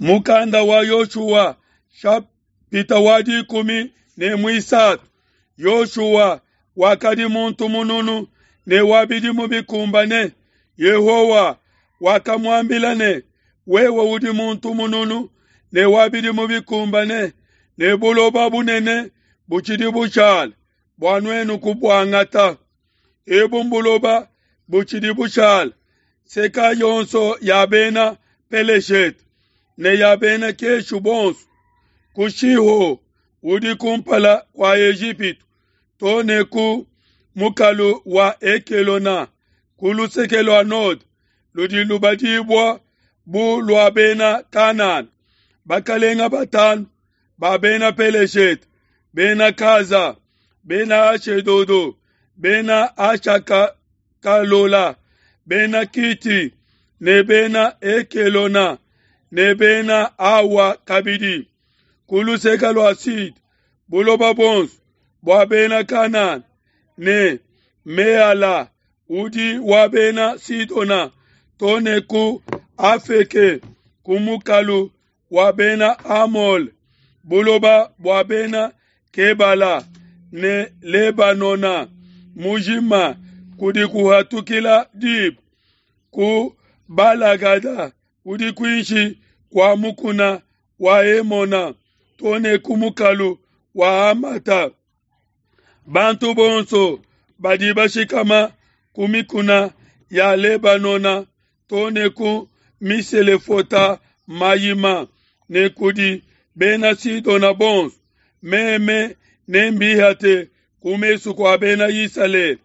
Mukanda wa Yoshua shapita wa 13. Yoshua wakadi muntu mununu ne wa bidimu bikumbane. Yehowa wakamuambila ne, wewe udi muntu mununu ne wa bidimu bikumbane, ne buloba bunene butshidi bushala bua nuenu kubuangata. Ebu mbuloba butshidi bushala, seka yonso ya bena Peleshete ne ya bena Keshu bonso, ku Shiho udi kumpala kua Ejipitu to ne ku mukalu wa Ekelona ku luseke lua node ludi lubadibua bu lua bena Kanana. Bakalenga batanu ba bena Peleshete, bena Kaza, bena Ashedodo, bena Ashakalola, bena Kiti ne bena Ekelona ne bena Awa kabidi. Ku luseke lua sud, buloba buonso bua bena Kanana ne Meala udi wa bena Sidona to ne ku Afeke ku mukalu wa bena Amole, buloba bua bena Kebala ne Lebanona mujima kudi kuhatukila diba ku Balagada udi kuinshi kua mukuna wa Hemona to ne ku mukalu wa Hamata. Bantu bonso badi bashikama ku mikuna ya Lebanona to ne ku Miselefota Mayima ne kudi bena Sidona bonso, meme nembihate ku mesu kua bena Isalele.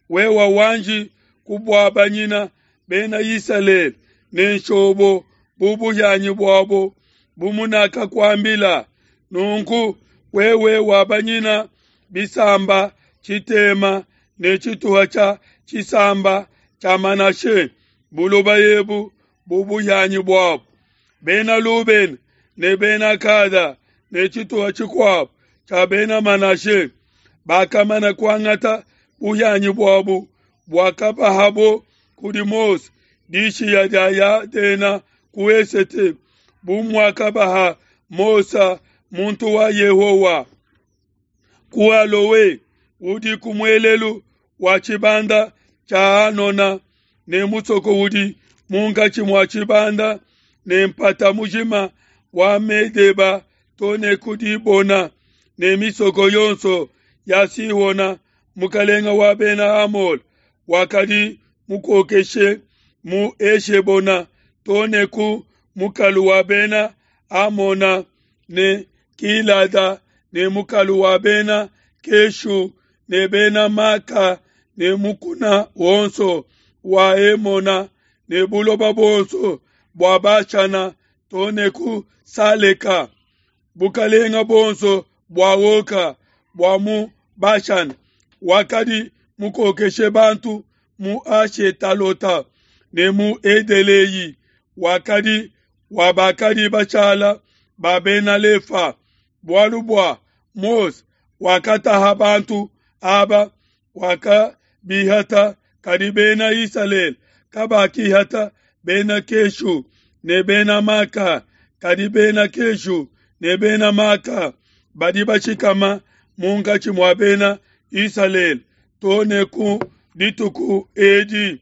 Wewe wanji kubuabanyina bena Isalele ne nshobo bu buhianyi buabo, bu munakakuambila. Nunku wewe wabanyina bisamba tshitema ne tshituha tshia tshisamba tshia Manashe buloba ebu bu buhianyi buabo. Bena Lubena ne bena Gada ne tshituha tshikuabo tshia bena Manashe bakamana kuangata buhianyi buabo buakabahabo kudi Mose dishiya dia Yadena ku esete, bu muakabaha Mose muntu wa Yehowa. Ku Aloe udi ku muelelu wa tshibanda tshia Anona, ne musoko udi munkatshi mua tshibanda ne mpata mujima wa Medeba to ne ku Dibona, ne misoko yonso ya Sihona mukalenga wa bena Amole wakadi mukokeshe mu Eshebona to ne ku mukalu wa bena Amona ne Gilada ne mukalu wa bena Keshu ne bena Maka ne mukuna wonso wa Hemona ne buloba buonso bua Bashana to ne ku Saleka, bukalenga buonso bua Oka bua mu Bashana wakadi mukokeshe bantu mu Ashetalota ne mu Edeleyi wakadi wa bakadi bashala ba bena Lefa, bualu bua Mose wakataha bantu aba wakabihata, kadi bena Isalele kabakihata bena Keshu ne bena Maka, kadi bena Keshu ne bena Maka badi bashikama munkatshi mua bena Isalele to ne ku dituku edi.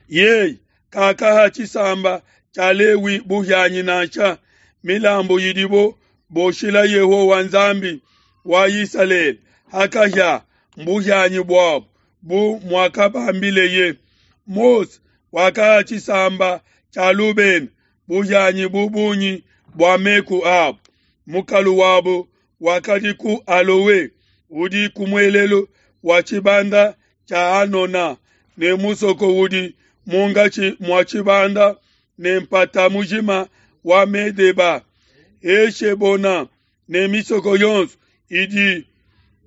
Yeye kakaha tshisamba tshia Lewi buhianyi nansha milambu yidibo boshila Yehowa Nzambi wa Isalele hakahia mbuhianyi buabo, bu muakabambileye. Mose wakaha tshisamba tshia Lubena buhianyi bu bungi bua meku abo. Mukalu wabo wakadi ku Aloe udi ku muelelu wa tshibanda tshia Anona, ne musoko udi munkatshi mua tshibanda ne mpata mujima wa Medeba, Eshebona ne misoko yonso idi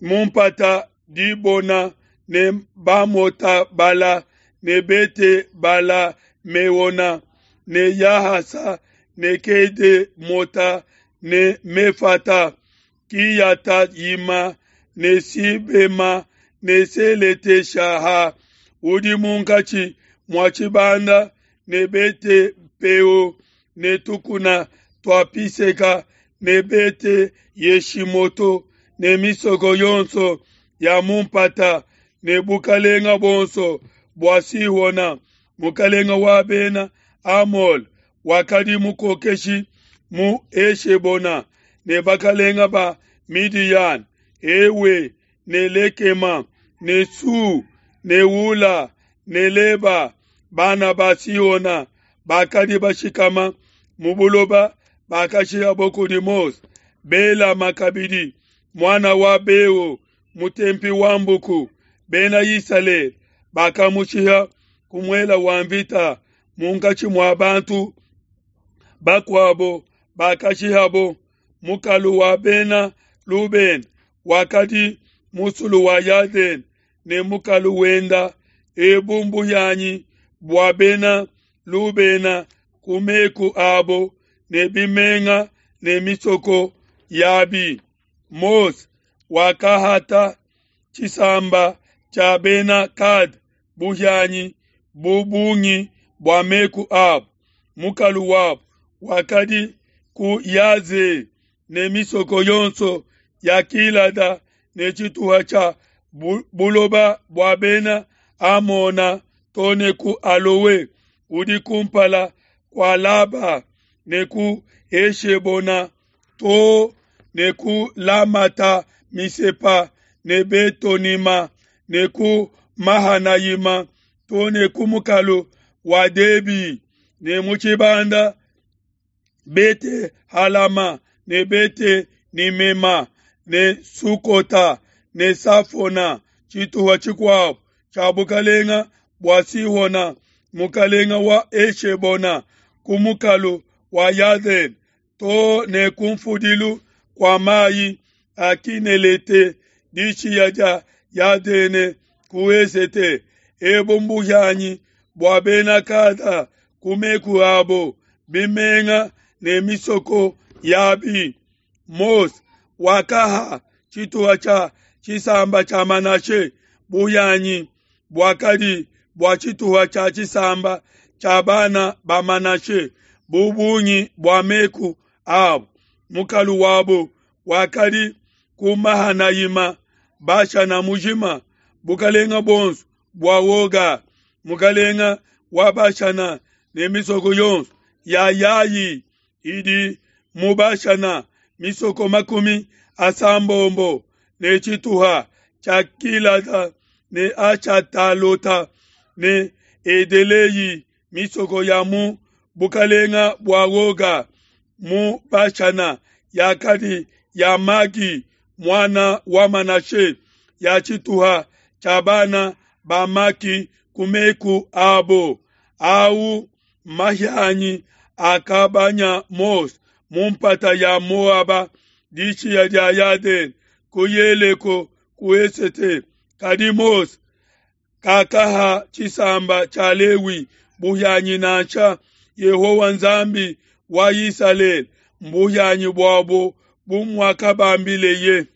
mu mpata, Dibona ne Bamota Bala ne Bete Bala Meona ne Yahasa ne Kede Mota ne Mefata, Kiyata Yima ne Sibema ne Selete Shaha udi munkatshi mua tshibanda ne Bete Peo. ne tukuna tua Pisega ne Bete Yeshimoto ne misoko yonso ya mu mpata ne bukalenga buonso bua Sihona, mukalenga wa bena Amole, wakadi mukokeshi mu Eshebona, ne bakalenga ba Midiyana, Ewe ne Lekema ne Su ne Hula ne Leba, bana ba Sihona bakadi bashikama mu buloba bakashihabo kudi Mose. Belama kabidi, muana wa Beo, mutempi wa mbuku, Bena Isalele bakamushiha ku muele wa mvita munkatshi mua bantu bakuabo bakashihabo. Mukalu wa Bena Lubena wakadi musulu wa Yadene ne mukalu wenda. Ebu mbuhianyi bua Bena Lubena ku meku abo ne bimenga ne misoko yabi. Mose wakahata tshisamba tshia Bena Gada buhianyi bu bungi bua meku abo. Mukalu wabo wakadi ku Yaze ne misoko yonso ya Gilada ne tshituha tshia buloba bua Bena Amona to ne ku Aloe udi kumpala kua Laba ne ku Heshebona to ne ku Lamata Misepa ne Betonima ne ku Mahanayima to ne ku mukalu wa Debi ne mu tshibanda Bete Halama ne Bete Nimema ne Sukota ne Safona, tshituha tshikuabo tshia bukalenga bua Sihona mukalenga wa Eshebona, ku mukalu wa Yadene to ne ku mfudilu kua mayi a Kinelete, dishiya dia Yadene ku esete. Ebu mbuhianyi bua Bena Gada ku meku abo, bimenga ne misoko yabi. Mose wakaha tshituha tshia tshisamba tshia Manashe buhianyi buakadi bua tshituha tshia tshisamba tshia bana ba Manashe bu bungi bua meku abo. Mukalu wabo wakadi ku Mahanayima, Bashana mujima, bukalenga buonso bua Oga, mukalenga wa Bashana, ne misoko yonso ya Yayi idi mu Bashana, misoko 80 ne tshituha tshia Gilada ne Ashatalota ne Edeleyi, misoko ya mu bukalenga bua Oga mu Bashana yakadi ya Magi muana wa Manashe, ya tshituha tshia bana ba Maki ku meku abo. Au mahianyi akabanya Mose mu mpata ya Moaba dishiya dia Yadene ku Yeleko ku esete. Kadi Mose kakaha tshisamba tshia Lewi buhianyi nansha. Yehowa Nzambi wa Isalele mbuhianyi buabo bu muakabambileye.